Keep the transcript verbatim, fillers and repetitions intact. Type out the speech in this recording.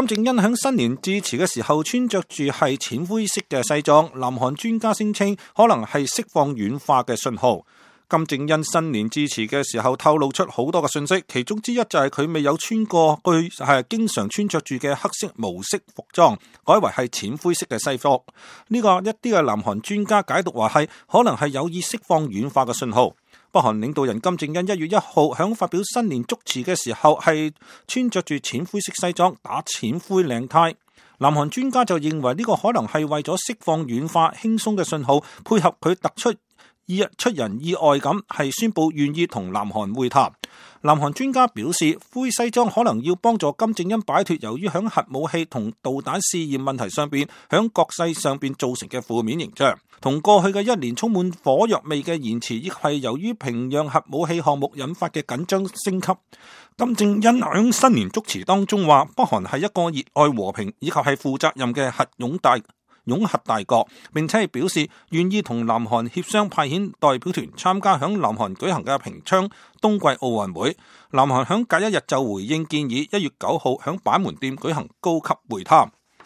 金正恩喺新年致辭嘅時候穿着住係淺灰色嘅西裝，南韓專家聲稱可能係釋放軟化嘅信號。金正恩新年致辭嘅時候透露出好多嘅信息，其中之一就係佢未有穿過佢係經常穿着住嘅黑色毛色服裝，改為係淺灰色嘅西服。呢、這個一啲嘅南韓專家解讀話係可能係有意釋放軟化嘅信號。北韓領導人金正恩一月一號響發表新年祝詞嘅時候係穿着住淺灰色西裝，打淺灰領呔。南韓專家就認為呢個可能係為咗釋放軟化輕鬆嘅信號，配合佢突出意出人意外咁係宣布願意同南韓會談。南韓專家表示，灰西裝可能要幫助金正恩擺脫由於響核武器同導彈試驗問題上邊響國際上邊造成嘅負面形象，同過去嘅一年充滿火藥味嘅言辭，亦係由於平壤核武器項目引發嘅緊張升級。金正恩響新年祝詞當中話，北韓係一個熱愛和平以及係負責任嘅核擁大擁核大國，並且係表示願意同南韓協商派遣代表團參加響南韓舉行嘅平昌冬季奧運會。南韓響隔一日就回應建議，一月九號響板門店舉行高級會談。